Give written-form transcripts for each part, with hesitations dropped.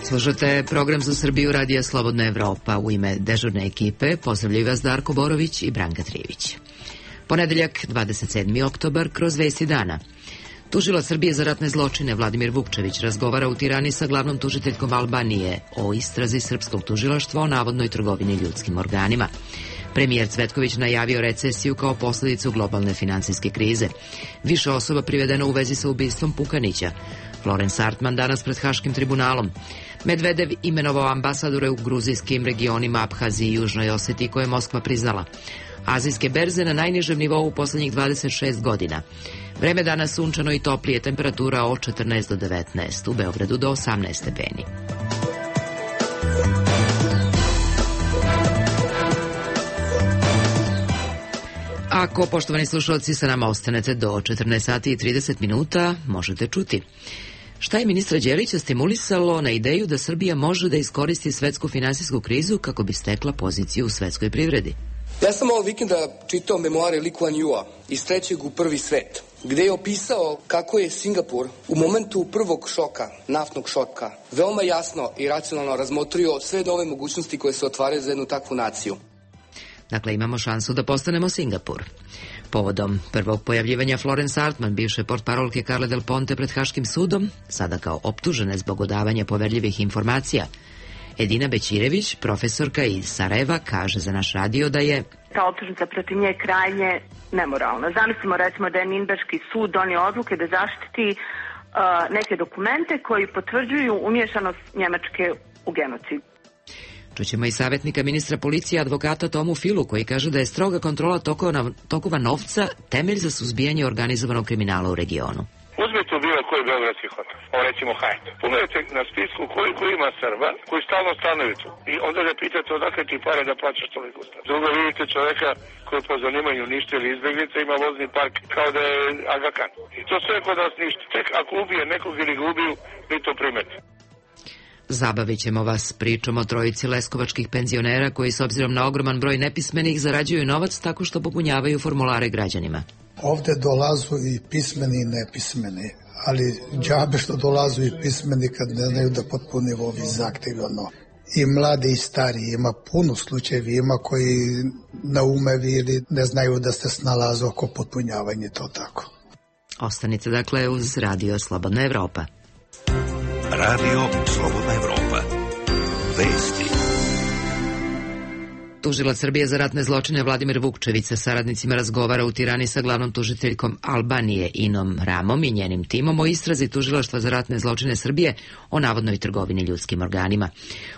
Slušate program za Srbiju Radija Slobodna Evropa. U ime dežurne ekipe pozdravljaju vas Darko Borović i Branka Trivić. Ponedeljak, 27. oktobar, kroz vesti dana. Tužilac Srbije za ratne zločine Vladimir Vukčević razgovara u Tirani sa glavnom tužiteljkom Albanije o istrazi srpskog tužilaštva o navodnoj trgovini ljudskim organima. Premijer Cvetković najavio recesiju kao posledicu globalne finansijske krize. Više osoba privedeno u vezi sa ubistvom Pukanića. Florence Artman danas pred Haškim tribunalom. Medvedev imenovao ambasadore u gruzijskim regionima Abhaziji i Južnoj Osetiji koje je Moskva priznala. Azijske berze na najnižem nivou u poslednjih 26 godina. Vreme danas sunčano i toplije, temperatura od 14 do 19, u Beogradu do 18 stepeni. Ako, poštovani slušalci, sa nama ostanete do 14 sati i 30 minuta, možete čuti. Šta je ministra Đelića stimulisalo na ideju da Srbija može da iskoristi svetsku finansijsku krizu kako bi stekla poziciju u svetskoj privredi? Ja sam ovog vikenda čitao memoare Lee Kuan Yewa iz trećeg u prvi svet, gde je opisao kako je Singapur u momentu prvog šoka, naftnog šoka, veoma jasno i racionalno razmotrio sve nove mogućnosti koje se otvaraju za jednu takvu naciju. Dakle, imamo šansu da postanemo Singapur. Povodom prvog pojavljivanja Florence Artman, bivše portparolke Carle Del Ponte pred Haškim sudom, sada kao optužene zbog odavanja poverljivih informacija, Edina Bećirević, profesorka iz Sarajeva, kaže za naš radio da je ta optužnica protiv nje krajnje nemoralna. Zamislimo recimo da je Ninberški sud donio odluke da zaštiti neke dokumente koji potvrđuju umješanost Njemačke u genocid. Čućemo i savjetnika ministra policije advokata Tomu Filu koji kaže da je stroga kontrola tokova novca temelj za suzbijanje organizovanog kriminala u regionu. Uzmite u bilo koji beogradski hotel, recimo Hajt. Pogledajte na spisku koliko ima Srba koji stalno stanuju tu. I onda ga pitate odakle ti pare da plaćaš toliko. Drugo vidite čoveka koji po zanimanju ništa ili izbjeglica ima vozni park kao da je Aga Khan. I to sve kod nas ništa. Tek ako ubije nekog ili ga ubiju, vi to primete. Zabavit ćemo vas pričom o trojici leskovačkih penzionera koji s obzirom na ogroman broj nepismenih zarađuju novac tako što popunjavaju formulare građanima. Ovde dolazu i pismeni i nepismeni, ali džabe što dolazu i pismeni kad ne znaju da potpune ovi zahtevi. I mladi i stari, ima puno slučajevi, ima koji naumevi ili ne znaju da se snalaze oko potpunjavanja, to tako. Ostanite dakle uz Radio Slobodna Evropa. Radio Slobodna Evropa. Vesti. Tužilac Srbije za ratne zločine Vladimir Vukčević sa saradnicima razgovara u Tirani sa glavnom tužiteljkom Albanije Inom Ramom i njenim timom o istrazi tužilaštva za ratne zločine Srbije o navodnoj trgovini ljudskim organima.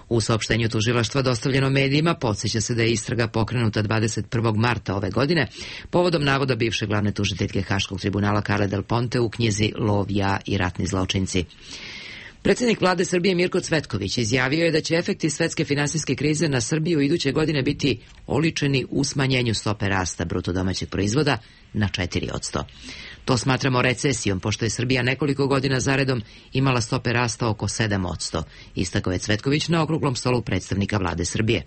U saopštenju tužilaštva dostavljeno medijima podsjeća se da je istraga pokrenuta 21. marta ove godine povodom navoda bivše glavne tužiteljke Haškog tribunala Carle Del Ponte u knjizi Lov, ja i ratni zločinci. Predsjednik vlade Srbije Mirko Cvetković izjavio je da će efekti svetske finansijske krize na Srbiju iduće godine biti oličeni u smanjenju stope rasta bruto domaćeg proizvoda na 4%. To smatramo recesijom, pošto je Srbija nekoliko godina zaredom imala stope rasta oko 7%, istakao je Cvetković na okruglom stolu predstavnika vlade Srbije.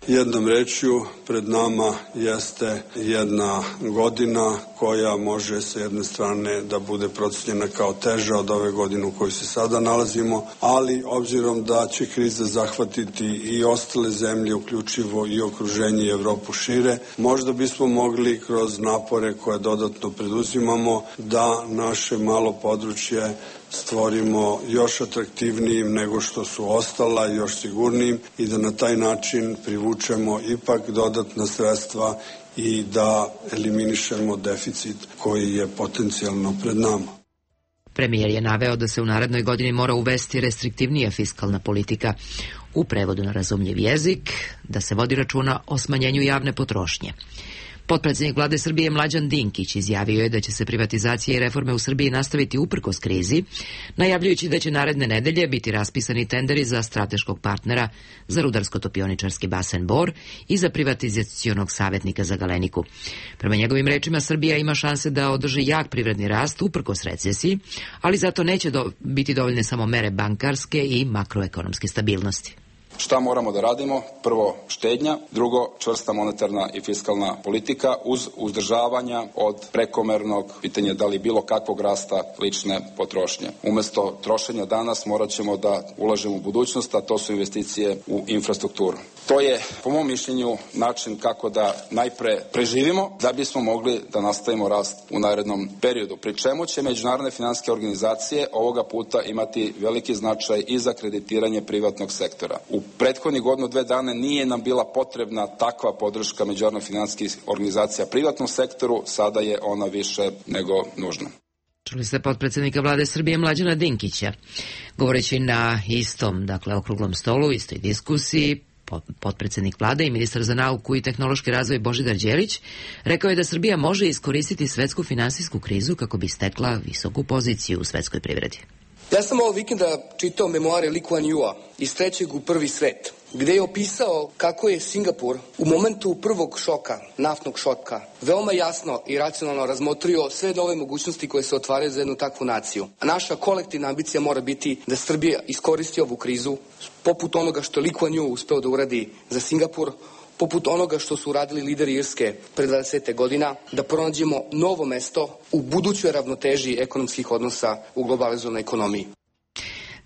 Jednom rečju, pred nama jeste jedna godina koja može sa jedne strane da bude procenjena kao teža od ove godine u kojoj se sada nalazimo, ali obzirom da će kriza zahvatiti i ostale zemlje, uključivo i okruženje i Evropu šire, možda bismo mogli kroz napore koje dodatno preduzimamo da naše malo područje stvorimo još atraktivnijim nego što su ostala, još sigurnijim i da na taj način privučemo ipak dodatna sredstva i da eliminišemo deficit koji je potencijalno pred nama. Premijer je naveo da se u narednoj godini mora uvesti restriktivnija fiskalna politika, u prevodu na razumljiv jezik, da se vodi računa o smanjenju javne potrošnje. Potpredsjednik vlade Srbije Mlađan Dinkić izjavio je da će se privatizacija i reforme u Srbiji nastaviti uprkos krizi, najavljujući da će naredne nedelje biti raspisani tenderi za strateškog partnera za rudarsko-topioničarski basen Bor i za privatizacionog savjetnika za Galeniku. Prema njegovim rečima, Srbija ima šanse da održi jak privredni rast uprkos recesiji, ali zato neće biti dovoljne samo mere bankarske i makroekonomske stabilnosti. Šta moramo da radimo? Prvo, štednja, drugo, čvrsta monetarna i fiskalna politika uz uzdržavanja od prekomernog pitanja da li bilo kakvog rasta lične potrošnje. Umesto trošenja danas morat ćemo da ulažemo u budućnost, a to su investicije u infrastrukturu. To je, po mom mišljenju, način kako da najpre preživimo da bismo mogli da nastavimo rast u narednom periodu. Pri čemu će međunarodne finansijske organizacije ovoga puta imati veliki značaj i za kreditiranje privatnog sektora. U prethodnih godinu, 2 dana nije nam bila potrebna takva podrška međunarodnih finansijskih organizacija privatnom sektoru, sada je ona više nego nužna. Čuli ste potpredsjednika vlade Srbije Mlađana Dinkića. Govoreći na istom, okruglom stolu, istoj diskusiji, potpredsjednik vlade i ministar za nauku i tehnološki razvoj Božidar Đelić rekao je da Srbija može iskoristiti svetsku finansijsku krizu kako bi stekla visoku poziciju u svetskoj privredi. Ja sam ovog vikenda čitao memoare Lee Kuan Yewa iz trećeg u prvi svet, gde je opisao kako je Singapur u momentu prvog šoka, naftnog šoka, veoma jasno i racionalno razmotrio sve nove mogućnosti koje se otvaraju za jednu takvu naciju. A naša kolektivna ambicija mora biti da Srbija iskoristi ovu krizu, poput onoga što Lee Kuan Yew uspeo da uradi za Singapur, poput onoga što su uradili lideri Irske pre 20 godina, da pronađemo novo mesto u budućoj ravnoteži ekonomskih odnosa u globalizovanoj ekonomiji.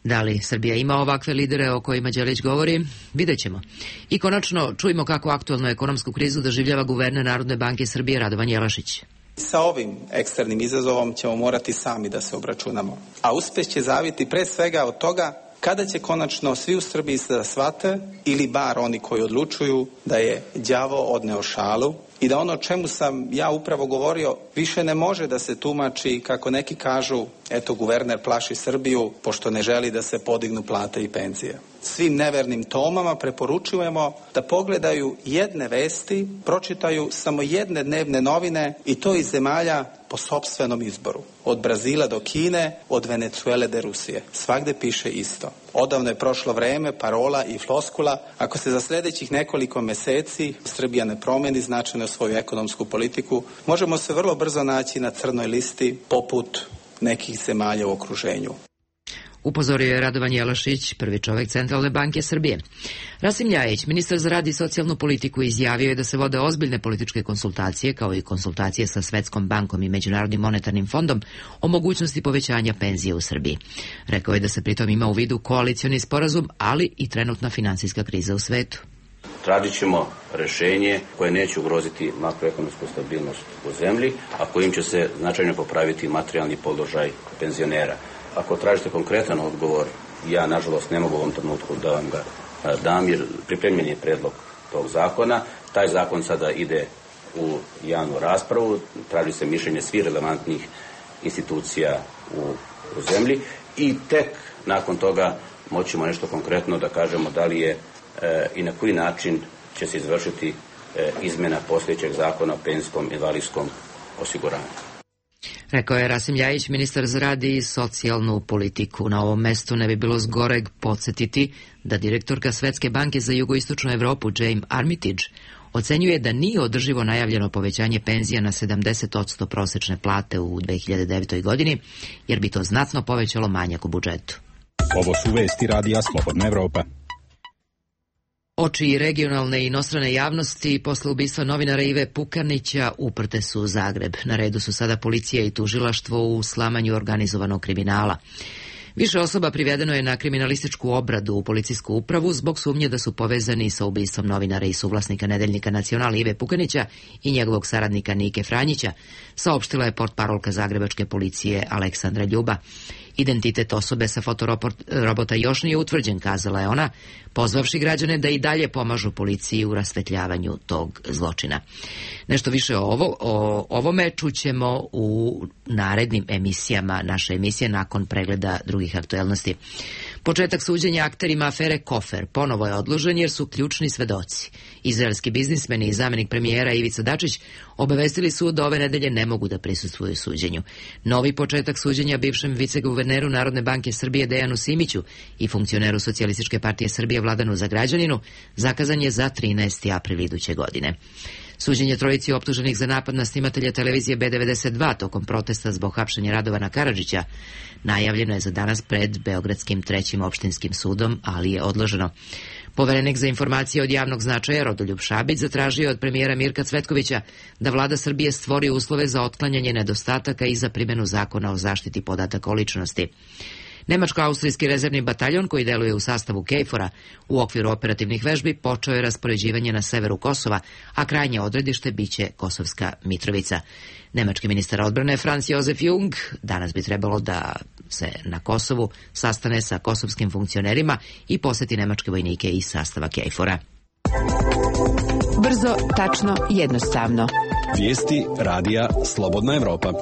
Da li Srbija ima ovakve lidere o kojima Đelić govori? Vidjet ćemo. I konačno čujemo kako aktualnu ekonomsku krizu doživljava guverner Narodne banke Srbije Radovan Jelašić. Sa ovim eksternim izazovom ćemo morati sami da se obračunamo. A uspeh će zaviti pre svega od toga kada će konačno svi u Srbiji da shvate, ili bar oni koji odlučuju, da je đavo odneo šalu i da ono o čemu sam ja upravo govorio više ne može da se tumači kako neki kažu, eto guverner plaši Srbiju pošto ne želi da se podignu plate i penzije. Svim nevernim Tomama preporučujemo da pogledaju jedne vesti, pročitaju samo jedne dnevne novine i to iz zemalja po sopstvenom izboru. Od Brazila do Kine, od Venecuele do Rusije. Svagde piše isto. Odavno je prošlo vreme parola i floskula. Ako se za sljedećih nekoliko meseci Srbija ne promeni značajno svoju ekonomsku politiku, možemo se vrlo brzo naći na crnoj listi poput nekih zemalja u okruženju. Upozorio je Radovan Jelašić, prvi čovek Centralne banke Srbije. Rasim Ljajić, ministar za rad i socijalnu politiku, izjavio je da se vode ozbiljne političke konsultacije, kao i konsultacije sa Svetskom bankom i Međunarodnim monetarnim fondom o mogućnosti povećanja penzije u Srbiji. Rekao je da se pritom ima u vidu koalicioni sporazum, ali i trenutna finansijska kriza u svetu. Tražit ćemo rešenje koje neće ugroziti makroekonomsku stabilnost u zemlji, a kojim će se značajno popraviti materijalni položaj penzionera. Ako tražite konkretan odgovor, ja nažalost ne mogu u ovom trenutku da vam ga dam, jer pripremljen je predlog tog zakona. Taj zakon sada ide u javnu raspravu, traži se mišljenje svih relevantnih institucija u zemlji i tek nakon toga moćemo nešto konkretno da kažemo da li je i na koji način će se izvršiti izmjena postojećeg zakona o penzijskom i invalidskom osiguranju. Rekao je Rasim Ljajić, ministar za rad i socijalnu politiku. Na ovom mestu ne bi bilo zgoreg podsjetiti da direktorka Svetske banke za jugoistočnu Evropu James Armitage ocenjuje da nije održivo najavljeno povećanje penzija na 70% prosečne plate u 2009. godini, jer bi to znatno povećalo manjak u budžetu. Ovo su vesti Radija Slobodna Evropa. Oči regionalne i inostrane javnosti posle ubistva novinara Ive Pukanića uprte su u Zagreb. Na redu su sada policija i tužilaštvo u slamanju organizovanog kriminala. Više osoba privedeno je na kriminalističku obradu u policijsku upravu zbog sumnje da su povezani sa ubistvom novinara i suvlasnika nedeljnika Nacional Ive Pukanića i njegovog saradnika Nike Franjića, saopštila je portparolka zagrebačke policije Aleksandra Ljuba. Identitet osobe sa fotorobota još nije utvrđen, kazala je ona, pozvavši građane da i dalje pomažu policiji u rasvetljavanju tog zločina. Nešto više o ovome čućemo u narednim emisijama naše emisije nakon pregleda drugih aktuelnosti. Početak suđenja akterima afere Kofer ponovo je odložen jer su ključni svedoci. Izraelski biznismeni i zamenik premijera Ivica Dačić obavestili su da ove nedelje ne mogu da prisustvuju suđenju. Novi početak suđenja bivšem viceguverneru Narodne banke Srbije Dejanu Simiću i funkcioneru Socijalističke partije Srbije Vladanu Zagrađaninu zakazan je za 13. april iduće godine. Suđenje trojici optuženih za napad na snimatelja televizije B92 tokom protesta zbog hapšenja Radovana Karadžića najavljeno je za danas pred Beogradskim trećim opštinskim sudom, ali je odloženo. Poverenik za informacije od javnog značaja Rodoljub Šabić zatražio je od premijera Mirka Cvetkovića da vlada Srbije stvori uslove za otklanjanje nedostataka i za primjenu zakona o zaštiti podataka o ličnosti. Nemačko-austrijski rezervni bataljon koji deluje u sastavu KFOR-a u okviru operativnih vežbi počeo je raspoređivanje na severu Kosova, a krajnje odredište biće Kosovska Mitrovica. Nemački ministar odbrane Franz Josef Jung danas bi trebalo da se na Kosovu sastane sa kosovskim funkcionerima i poseti nemačke vojnike iz sastava KFOR-a. Brzo, tačno, jednostavno. Vijesti radija Slobodna Evropa.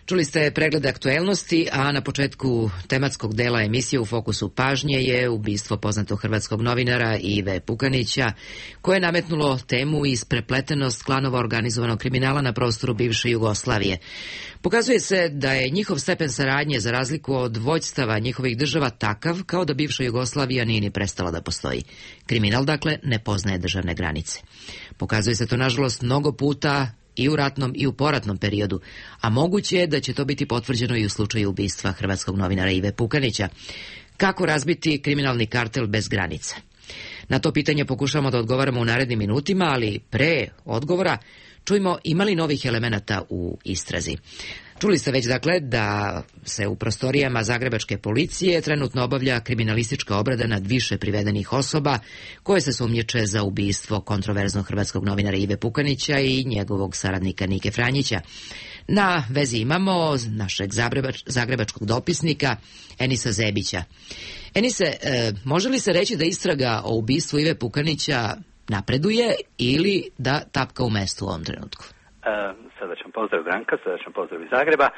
Čuli ste pregled aktuelnosti, a na početku tematskog dela emisije u fokusu pažnje je ubistvo poznatog hrvatskog novinara Ive Pukanića, koje je nametnulo temu isprepletenost klanova organizovanog kriminala na prostoru bivše Jugoslavije. Pokazuje se da je njihov stepen saradnje za razliku od vođstava njihovih država takav kao da bivša Jugoslavija nije ni prestala da postoji. Kriminal, dakle, ne poznaje državne granice. Pokazuje se to, nažalost, mnogo puta i u ratnom i u poratnom periodu, a moguće je da će to biti potvrđeno i u slučaju ubistva hrvatskog novinara Ive Pukanića. Kako razbiti kriminalni kartel bez granica? Na to pitanje pokušamo da odgovaramo u narednim minutima, ali pre odgovora čujmo ima li novih elemenata u istrazi. Čuli ste već, dakle, da se u prostorijama zagrebačke policije trenutno obavlja kriminalistička obrada nad više privedenih osoba koje se sumnjiče za ubistvo kontroverznog hrvatskog novinara Ive Pukanića i njegovog saradnika Nike Franjića. Na vezi imamo našeg zagrebačkog dopisnika Enisa Zebića. Enise, može li se reći da istraga o ubistvu Ive Pukanića napreduje ili da tapka u mestu u ovom trenutku? Srdačan pozdrav Branka, srdačan pozdrav iz Zagreba.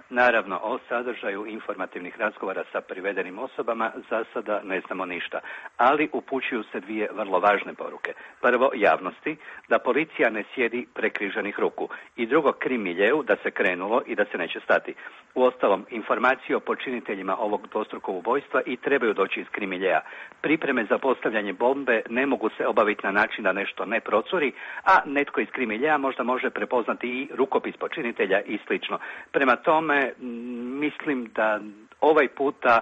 Naravno, o sadržaju informativnih razgovora sa privedenim osobama za sada ne znamo ništa, ali upućuju se dvije vrlo važne poruke. Prvo, javnosti, da policija ne sjedi prekriženih ruku, i drugo, krim miljeu, da se krenulo i da se neće stati. Uostalom, informacije o počiniteljima ovog dvostrukog ubojstva i trebaju doći iz krim miljea. Pripreme za postavljanje bombe ne mogu se obaviti na način da nešto ne procuri, a netko iz krim miljea možda može prepoznati i rukopis počinitelja i slično. Prema tome, mislim da ovaj puta,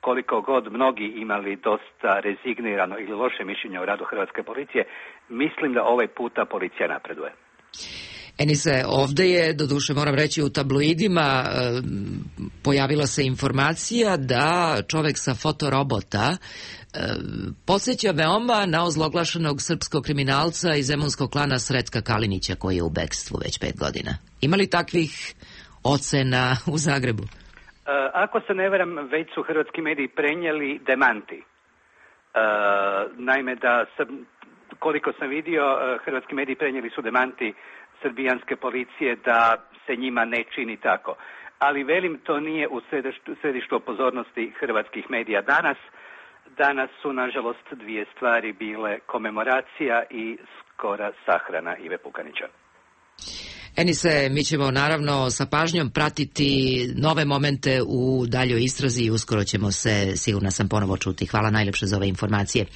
koliko god mnogi imali dosta rezignirano ili loše mišljenje o radu hrvatske policije, mislim da ovaj puta policija napreduje. Enise, ovdje je, doduše moram reći, u tabloidima pojavila se informacija da čovek sa fotorobota podsjeća veoma na ozloglašenog srpskog kriminalca iz zemunskog klana Sretka Kalinića, koji je u bekstvu već 5 godina. Ima li takvih ocena u Zagrebu? Ako se ne varam, već su hrvatski mediji prenijeli demanti. Naime, koliko sam vidio, hrvatski mediji prenijeli su demanti srbijanske policije da se njima ne čini tako. Ali velim, to nije u središtu pozornosti hrvatskih medija danas. Danas su, nažalost, dvije stvari bile: komemoracija i skora sahrana Ive Pukanića. Enise, mi ćemo naravno sa pažnjom pratiti nove momente u daljoj istrazi i uskoro ćemo se, sigurna sam, ponovo čuti. Hvala najljepše za ove informacije.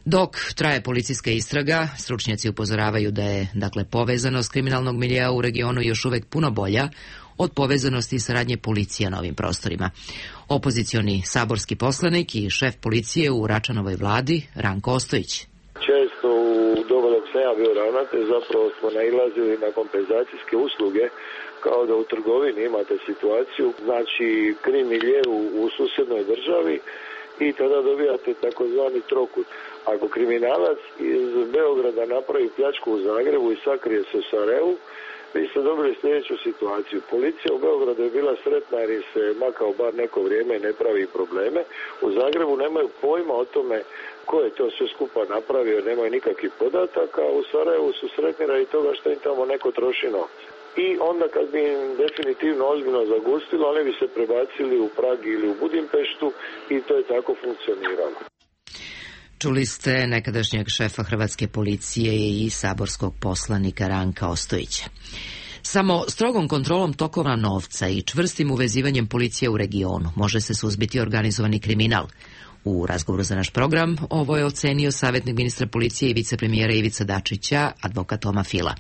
Dok traje policijska istraga, stručnjaci upozoravaju da je, dakle, povezanost kriminalnog miljea u regionu još uvek puno bolja od povezanosti i saradnje policija na ovim prostorima. Opozicioni saborski poslanik i šef policije u Račanovoj vladi, Ranko Ostojić. Često u doba dok sam ja bio ravnatelj zapravo smo nailazili na kompenzacijske usluge, kao da u trgovini imate situaciju, znači krim milje u susjednoj državi i tada dobijate takozvani trokut. Ako kriminalac iz Beograda napravi pljačku u Zagrebu i sakrije se u Sarajevu, vi ste dobili sljedeću situaciju. Policija u Beogradu je bila sretna jer im se makao bar neko vrijeme i ne pravi probleme. U Zagrebu nemaju pojma o tome ko je to sve skupa napravio, nemaju nikakvih podataka, a u Sarajevu su sretni radi toga što im tamo neko troši novce. I onda kad bi im definitivno ozbiljno zagustilo, oni bi se prebacili u Prag ili u Budimpeštu i to je tako funkcioniralo. Čuli ste nekadašnjeg šefa hrvatske policije i saborskog poslanika Ranka Ostojića. Samo strogom kontrolom tokova novca i čvrstim uvezivanjem policije u regionu može se suzbiti organizovani kriminal. U razgovoru za naš program ovo je ocenio savjetnik ministra policije i vicepremijera Ivica Dačića, advokat Toma Fila.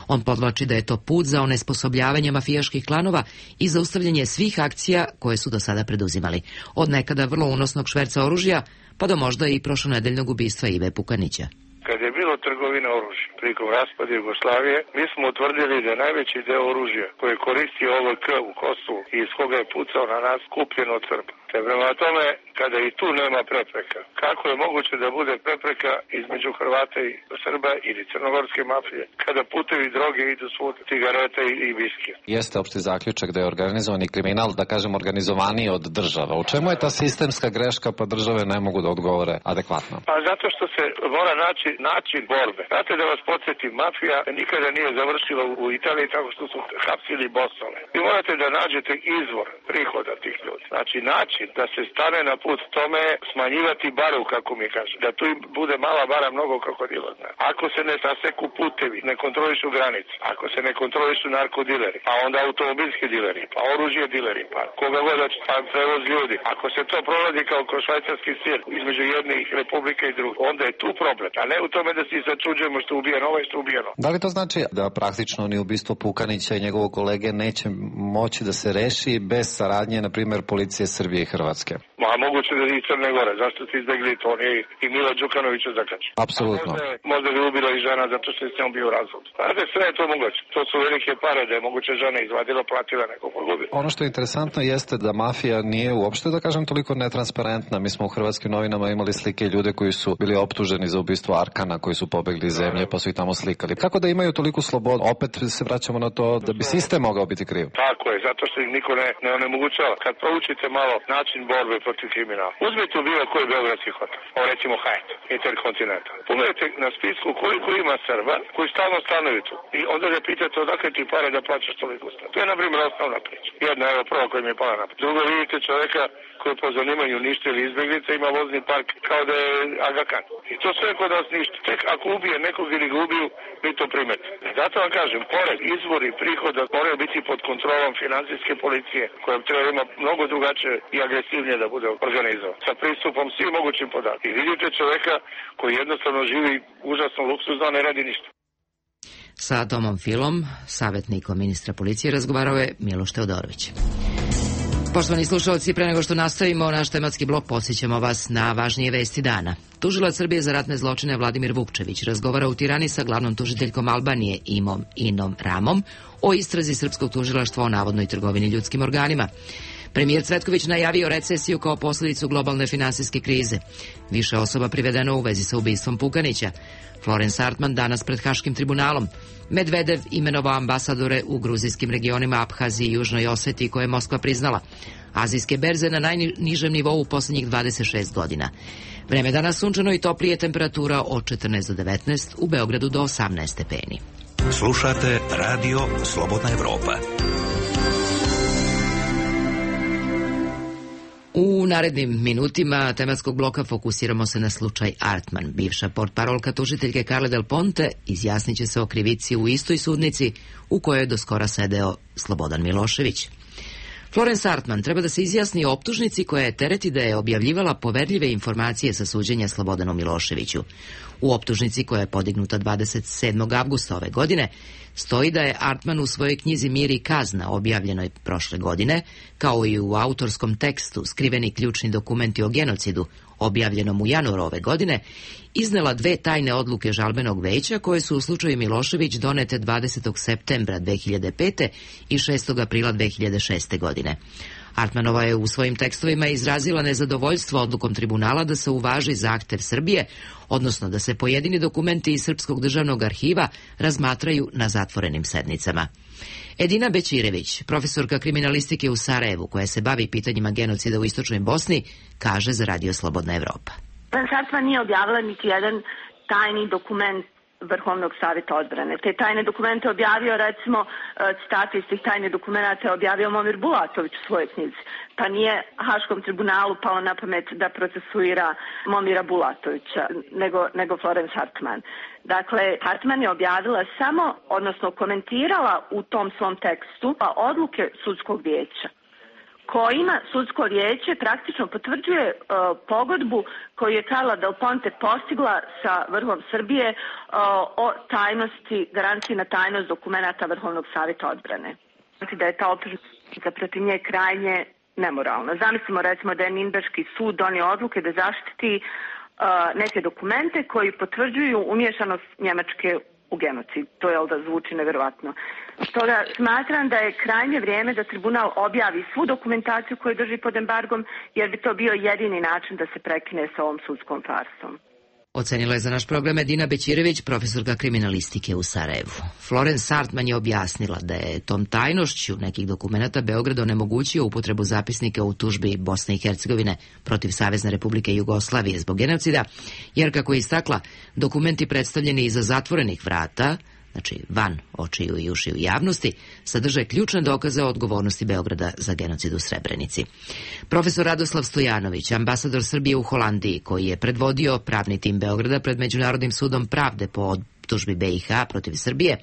On podvlači da je to put za onesposobljavanje mafijaških klanova i zaustavljanje svih akcija koje su do sada preduzimali. Od nekada vrlo unosnog šverca oružja pa do možda i prošlonedeljnog ubistva Ive Pukanića. Kad je bilo trgovina oružja prilikom raspada Jugoslavije, mi smo utvrdili da najveći deo oružja koje koristi OVK u Kosovu i iz koga je pucao na nas kupljen od Srba. Te prema tome, kada i tu nema prepreka, kako je moguće da bude prepreka između Hrvata i Srba ili crnogorske mafije, kada putevi droge idu svud, cigarete i viskije? Jeste opšti zaključak da je organizovani kriminal, da kažem, organizovaniji od država. U čemu je ta sistemska greška pa države ne mogu da odgovore adekvatno? Pa zato što se mora naći način borbe. Znate, da vas podsjetim, mafija nikada nije završila u Italiji tako što su hapsili bosove. Vi morate da nađete izvor prihoda tih ljudi. Znači, način da se stane na put tome smanjivati baru, kako mi kaže. Da tu bude mala bara mnogo krokodila. Ako se ne saseku putevi, ne kontrolišu granice, ako se ne kontrolišu narkodileri, pa onda automobilski dileri, pa oružje dileri, pa koga god pa prevoz ljudi. Ako se to prolazi kao kroz švajcarski sir između jednih republika i drugih, onda je tu problem, a ne u tome da se začuđujemo što je ubijeno, ovo je što je ubijeno. Da li to znači da praktično ni ubistvo Pukanića i njegovog kolege neće moći da se reši bez saradnje, na primjer, policije Srbije i Hrvatske? Ma, moguće da i Crne Gore, zašto ste izbegli to, on je i Mila Đukanovića zakači. Apsolutno. Možda bi ubila i žena zato što je s njom bio razvod. Znate, sve je to moguće. To su velike pare da je moguće žena izvadila, platila nekog pogubila. Ono što je interesantno jeste da mafija nije uopšte, da kažem, toliko netransparentna. Mi smo u hrvatskim novinama imali slike ljude koji su bili optuženi za ubistvo Arkana, koji su pobegli iz zemlje pa su ih tamo slikali. Kako da imaju toliku slobodu? Opet se vraćamo na to da bi sistem mogao biti kriv. Tako je, zato što ih niko ne onemogućava. Kad proučite malo način borbe protiv kriminala, uzmite u bilo koji beogradski hotel, recimo Hyatt, Intercontinental. Pogledajte na spisku koliko ima Srba koji stalno stanuju tu. I onda ga pitate odakle ti pare da plaćaš toliko stan. To je, na primjer, osnovna priča. Jedna, evo, prva koja mi je pala na. Drugo, vidite čoveka koji po zanimanju ništa ili izbjeglica ima vozni park kao da je Aga Khan. I to sve kod nas ništa. Tek ako ubije nekog ili ga ubiju, mi to primete. Zato vam kažem, pored izvori prihoda moraju biti pod kontrolom finansijske policije, koja treba ima mnogo drugačije i agresivnije da bude organizovan. Sa pristupom svim mogućim podatkom. I vidite čoveka koji jednostavno živi užasno luksuzno, ne radi ništa. Sa Tomom Filom, savjetnikom ministra policije, razgovarao je Miloš Teodorović. Poštovani slušalci, pre nego što nastavimo naš tematski blok, podsjećamo vas na važnije vesti dana. Tužilac Srbije za ratne zločine Vladimir Vukčević razgovara u Tirani sa glavnom tužiteljkom Albanije Inom Ramom o istrazi srpskog tužilaštva o navodnoj trgovini ljudskim organima. Premijer Cvetković najavio recesiju kao posljedicu globalne finansijske krize. Više osoba privedeno u vezi sa ubistvom Pukanića. Florence Hartman danas pred Haškim tribunalom. Medvedev imenovao ambasadore u gruzijskim regionima Abhaziji i Južnoj Osetiji koje je Moskva priznala. Azijske berze na najnižem nivou u posljednjih 26 godina. Vreme danas sunčano i toplije, temperatura od 14 do 19, u Beogradu do 18 stepeni. Slušate Radio Slobodna Evropa. U narednim minutima tematskog bloka fokusiramo se na slučaj Artman. Bivša portparolka tužiteljke Carle Del Ponte izjasnit će se o krivici u istoj sudnici u kojoj je do skora sedeo Slobodan Milošević. Florence Artman treba da se izjasni o optužnici koja je tereti da je objavljivala poverljive informacije sa suđenja Slobodanu Miloševiću. U optužnici koja je podignuta 27. avgusta ove godine stoji da je Artman u svojoj knjizi Mir i kazna, objavljenoj prošle godine, kao i u autorskom tekstu Skriveni ključni dokumenti o genocidu, objavljenom u januaru ove godine, iznela dve tajne odluke žalbenog veća koje su u slučaju Milošević donete 20. septembra 2005. i 6. aprila 2006. godine. Artmanova je u svojim tekstovima izrazila nezadovoljstvo odlukom tribunala da se uvaži zahtev Srbije, odnosno da se pojedini dokumenti iz Srpskog državnog arhiva razmatraju na zatvorenim sednicama. Edina Bećirević, profesorka kriminalistike u Sarajevu, koja se bavi pitanjima genocida u Istočnoj Bosni, kaže za Radio Slobodna Evropa. Florence Artman nije objavila niti jedan tajni dokument Vrhovnog savjeta odbrane. Te tajne dokumente objavio, recimo, citate iz tih tajnih dokumenata je objavio Momir Bulatović u svojoj knjizi. Pa nije Haškom tribunalu palo na pamet da procesuira Momira Bulatovića, nego Florence Hartman. Dakle, Hartman je objavila samo, odnosno komentirala u tom svom tekstu odluke sudskog vijeća, kojima sudsko vijeće praktično potvrđuje pogodbu koju je Carla Del Ponte postigla sa vrhom Srbije o tajnosti, garanciji na tajnost dokumenata Vrhovnog savjeta odbrane. Znači da je ta optužnica protiv nje krajnje nemoralna. Zamislimo recimo da je Ninberški sud donio odluke da zaštiti neke dokumente koji potvrđuju umiješanost Njemačke u genocid. To je da zvuči nevjerovatno. Stoga smatram da je krajnje vrijeme da tribunal objavi svu dokumentaciju koju drži pod embargom, jer bi to bio jedini način da se prekine sa ovom sudskom farsom. Ocenila je za naš program Edina Bećirević, profesorka kriminalistike u Sarajevu. Florence Hartman je objasnila da je tom tajnošću nekih dokumenata Beograd onemogućio upotrebu zapisnika u tužbi Bosne i Hercegovine protiv Savezne Republike Jugoslavije zbog genocida, jer, kako je istakla, dokumenti predstavljeni iza zatvorenih vrata, znači van očiju i ušiju javnosti, sadrže ključne dokaze o odgovornosti Beograda za genocid u Srebrenici. Profesor Radoslav Stojanović, ambasador Srbije u Holandiji, koji je predvodio pravni tim Beograda pred Međunarodnim sudom pravde po optužbi BiH protiv Srbije,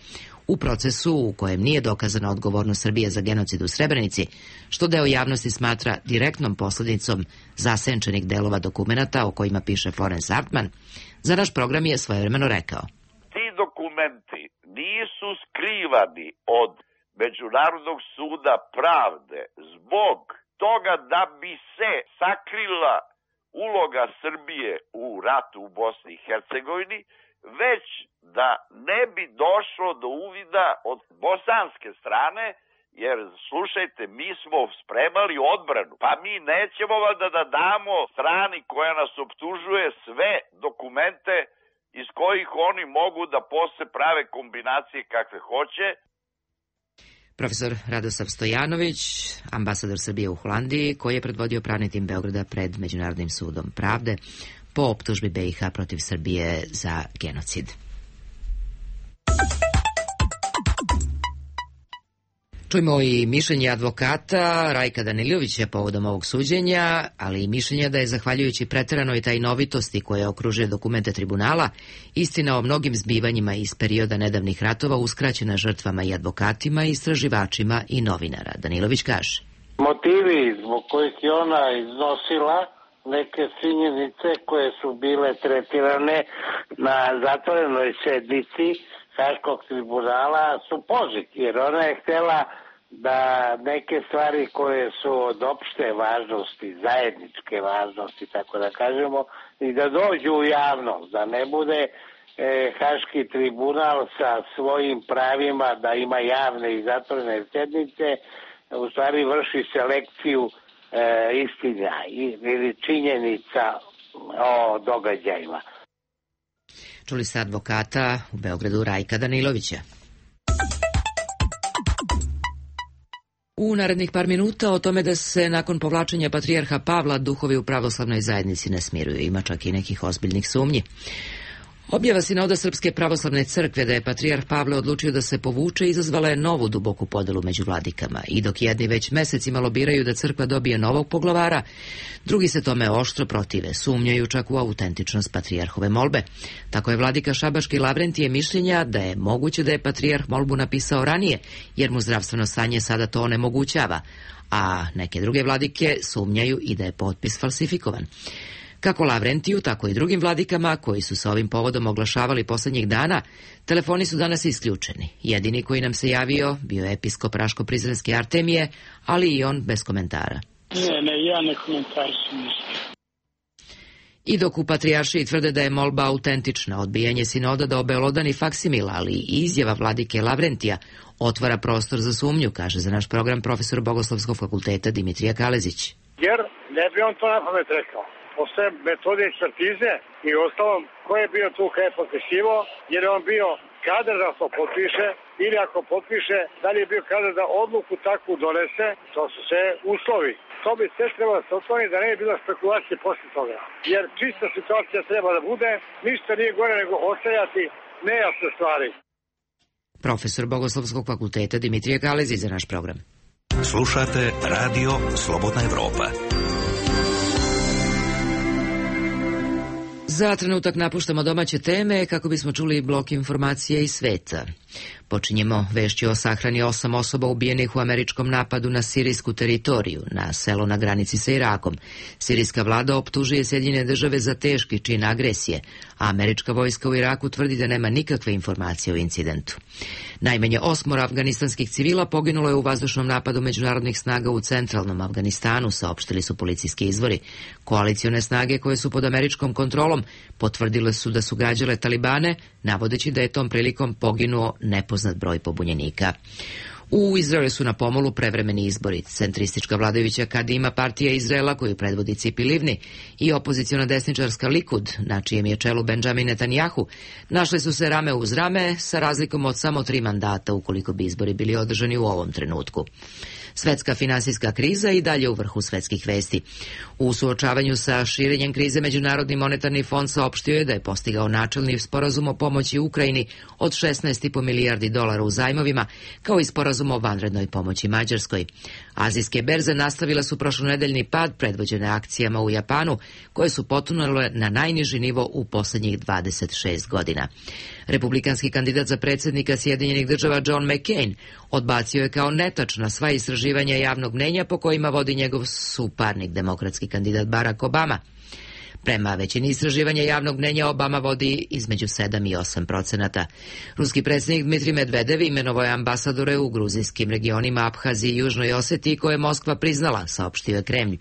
u procesu u kojem nije dokazana odgovornost Srbije za genocid u Srebrenici, što deo javnosti smatra direktnom posljedicom zasenčenih delova dokumenata o kojima piše Florence Hartman, za naš program je svojevremeno rekao: dokumenti nisu skrivani od Međunarodnog suda pravde zbog toga da bi se sakrila uloga Srbije u ratu u Bosni i Hercegovini, već da ne bi došlo do uvida od bosanske strane, jer slušajte, mi smo spremali odbranu, pa mi nećemo valjda da damo strani koja nas optužuje sve dokumente iz kojih oni mogu da posle prave kombinacije kakve hoće. Profesor Radoslav Stojanović, ambasador Srbije u Holandiji, koji je predvodio pravni tim Beograda pred Međunarodnim sudom pravde po optužbi BiH protiv Srbije za genocid. Čujmo i mišljenje advokata Rajka Danilovića povodom ovog suđenja, ali i mišljenja da je, zahvaljujući preteranoj tajnovitosti koja okružuje dokumente tribunala, istina o mnogim zbivanjima iz perioda nedavnih ratova uskraćena žrtvama i advokatima, istraživačima i novinara. Danilović kaže: motivi zbog kojih je ona iznosila neke činjenice koje su bile tretirane na zatvorenoj sednici Haškog tribunala su pozitivni, jer ona je htjela da neke stvari koje su od opšte važnosti, zajedničke važnosti, tako da kažemo, i da dođu u javnost, da ne bude Haški tribunal sa svojim pravima da ima javne i zatvorene sednice, u stvari vrši selekciju istina ili činjenica o događajima. Čuli ste advokata u Beogradu Rajka Danilovića. U narednih par minuta o tome da se nakon povlačenja patrijarha Pavla duhovi u pravoslavnoj zajednici ne smiruju. Ima čak i nekih ozbiljnih sumnji. Objava Sinoda Srpske pravoslavne crkve da je patrijarh Pavle odlučio da se povuče izazvala je novu duboku podelu među vladikama, i dok jedni već mesecima lobiraju da crkva dobije novog poglavara, drugi se tome oštro protive, sumnjaju čak u autentičnost patrijarhove molbe. Tako je vladika Šabaški Lavrentije mišljenja da je moguće da je patrijarh molbu napisao ranije, jer mu zdravstveno stanje sada to onemogućava, a neke druge vladike sumnjaju i da je potpis falsifikovan. Kako Lavrentiju, tako i drugim vladikama koji su se ovim povodom oglašavali posljednjih dana, telefoni su danas isključeni. Jedini koji nam se javio bio je episkop Raško-Prizrenske Artemije, ali i on bez komentara. Ne, ja ne komentarišem ništa. I dok u patrijaršiji tvrde da je molba autentična, odbijanje sinoda da obelodani faksimil, ali i izjava vladike Lavrentija otvara prostor za sumnju, kaže za naš program profesor Bogoslovskog fakulteta Dimitrija Kalezić. Jer ne bi on to na pamet rekao. Postoje metode ekspertize i ostalom ko je bio tu kada je potpisivao, jer je on bio kadar da to potpiše, ili ako potpiše, da li je bio kadar da odluku takvu donese, to su sve uslovi. To bi sve trebalo da se otvori, da ne je bila spekulacija posle toga. Jer čista situacija treba da bude, ništa nije gore nego ostajati nejasne stvari. Profesor Bogoslovskog fakulteta Dimitrije Kalezi za naš program. Slušate Radio Slobodna Evropa. Za trenutak napuštamo domaće teme kako bismo čuli blok informacije iz sveta. Počinjemo vešću o sahrani 8 osoba ubijenih u američkom napadu na sirijsku teritoriju, na selo na granici sa Irakom. Sirijska vlada optužuje Sjedinjene države za teški čin agresije, a američka vojska u Iraku tvrdi da nema nikakve informacije o incidentu. Najmanje 8 afganistanskih civila poginulo je u vazdušnom napadu međunarodnih snaga u centralnom Afganistanu, saopštili su policijski izvori. Koalicione snage koje su pod američkom kontrolom potvrdile su da su gađale talibane, navodeći da je tom prilikom poginuo nepoznat broj pobunjenika. U Izraelu su na pomolu prevremeni izbori. Centristička vladajuća Kadima partija Izraela, koju predvodi Cipi Livni, i opoziciona desničarska Likud, na čijem je čelu Benjamin Netanjahu, našli su se rame uz rame sa razlikom od samo 3 mandata ukoliko bi izbori bili održani u ovom trenutku. Svetska finansijska kriza i dalje u vrhu svetskih vesti. U suočavanju sa širenjem krize Međunarodni monetarni fond saopštio je da je postigao načelni sporazum o pomoći Ukrajini od 16,5 milijardi dolara u zajmovima, kao i sporazum o vanrednoj pomoći Mađarskoj. Azijske berze nastavile su prošlonedeljni pad predvođene akcijama u Japanu, koje su potonule na najniži nivo u poslednjih 26 godina. Republikanski kandidat za predsjednika Sjedinjenih država John McCain odbacio je kao netačna sva istraživanja javnog mnenja po kojima vodi njegov suparnik, demokratski kandidat Barack Obama. Prema većini istraživanja javnog mnenja Obama vodi između 7 i 8%. Ruski predsjednik Dmitrij Medvedev imenovao je ambasadore u gruzijskim regionima Abhaziji i Južnoj Osetiji koje je Moskva priznala, saopštio je Kremlj.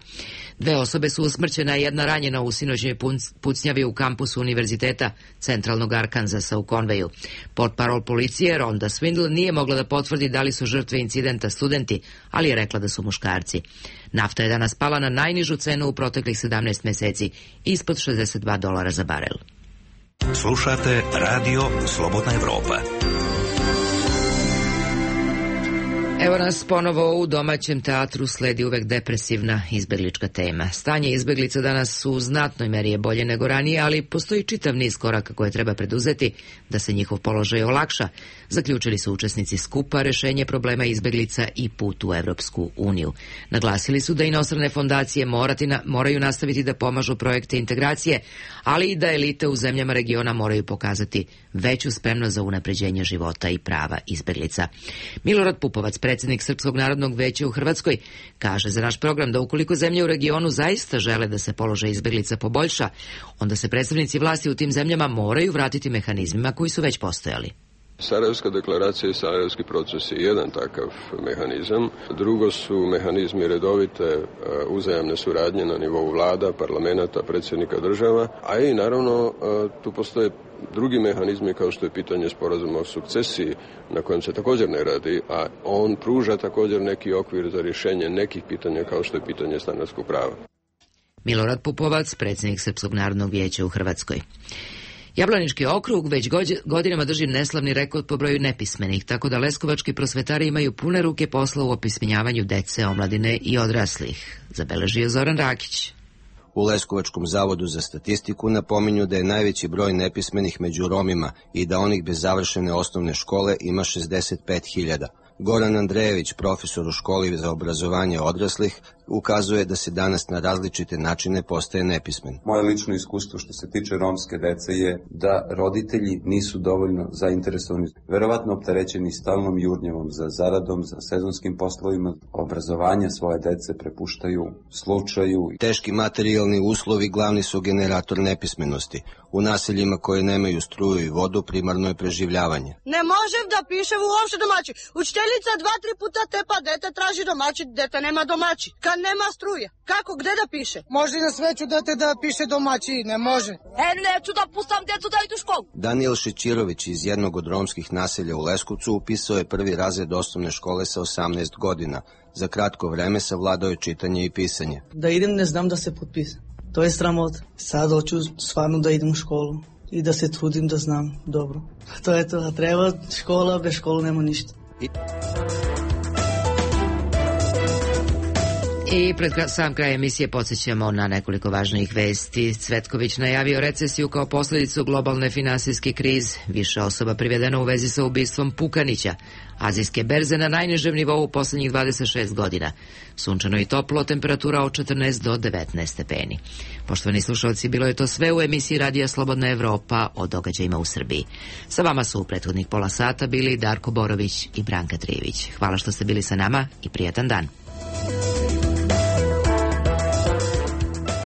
2 osobe su usmrćene, a 1 ranjena u sinoćnoj pucnjavi u kampusu Univerziteta centralnog Arkanzasa u Konveju. Portparol policije Rhonda Swindle nije mogla da potvrdi da li su žrtve incidenta studenti, ali je rekla da su muškarci. Nafta je danas pala na najnižu cenu u proteklih 17 meseci, ispod $62 za barel. Slušate Radio Slobodna Evropa. Evo nas ponovo u domaćem teatru, sledi uvek depresivna izbeglička tema. Stanje izbeglica danas u znatnoj meri je bolje nego ranije, ali postoji čitav niz koraka koje treba preduzeti da se njihov položaj olakša, zaključili su učesnici skupa Rešenje problema izbeglica i put u Evropsku uniju. Naglasili su da inostrane fondacije moraju nastaviti da pomažu projekte integracije, ali i da elite u zemljama regiona moraju pokazati veću spremnost za unapređenje života i prava izbeglica. Milorad Pupovac, predsjednik Srpskog narodnog veća u Hrvatskoj, kaže za naš program da ukoliko zemlje u regionu zaista žele da se položaj izbeglica poboljša, onda se predstavnici vlasti u tim zemljama moraju vratiti mehanizmima koji su već postojali. Sarajevska deklaracija i Sarajevski proces je jedan takav mehanizam. Drugo su mehanizmi redovite uzajamne suradnje na nivou vlada, parlamenta, predsjednika država, a i naravno tu postoje drugi mehanizmi kao što je pitanje sporazuma o sukcesiji na kojem se također ne radi, a on pruža također neki okvir za rješenje nekih pitanja kao što je pitanje stanarskog prava. Milorad Pupovac, predsjednik Srpskog narodnog vijeća u Hrvatskoj. Jablanički okrug već godinama drži neslavni rekord po broju nepismenih, tako da leskovački prosvetari imaju pune ruke posla u opismenjavanju dece, omladine i odraslih, zabeležio Zoran Rakić. U Leskovačkom zavodu za statistiku napominju da je najveći broj nepismenih među Romima i da onih bez završene osnovne škole ima 65.000. Goran Andrejević, profesor u školi za obrazovanje odraslih, ukazuje da se danas na različite načine postaje nepismen. Moje lično iskustvo što se tiče romske dece je da roditelji nisu dovoljno zainteresovani, verovatno opterećeni stalnom jurnjavom za zaradom, za sezonskim poslovima, obrazovanje svoje dece prepuštaju slučaju. Teški materijalni uslovi glavni su generator nepismenosti. U naseljima koje nemaju struju i vodu primarno je preživljavanje. Ne možem da pišem uopšte domaći. Učiteljica 2-3 puta tepa dete, traži domaći, dete nema domaći. Kad nema struje, kako, gde da piše? Može i na sveću dete da piše domaći, ne može. Neću da pustam djecu da idu u školu. Daniel Šećirović iz jednog od romskih naselja u Leskovcu upisao je prvi razred osnovne škole sa 18 godina. Za kratko vreme savladao je čitanje i pisanje. Da idem ne znam da se potpisam. To je sramota. Sad hoću stvarno da idem u školu i da se trudim da znam dobro. To je to, a treba škola, bez škole nema ništa. I pred sam kraj emisije podsjećamo na nekoliko važnijih vesti. Cvetković najavio recesiju kao posljedicu globalne finansijske krize. Više osoba privedeno u vezi sa ubistvom Pukanića. Azijske berze na najnižem nivou u posljednjih 26 godina. Sunčano i toplo, temperatura od 14 do 19 stepeni. Poštovani slušalci, bilo je to sve u emisiji Radija Slobodna Evropa o događajima u Srbiji. Sa vama su u prethodnih pola sata bili Darko Borović i Branka Trijević. Hvala što ste bili sa nama i prijatan dan.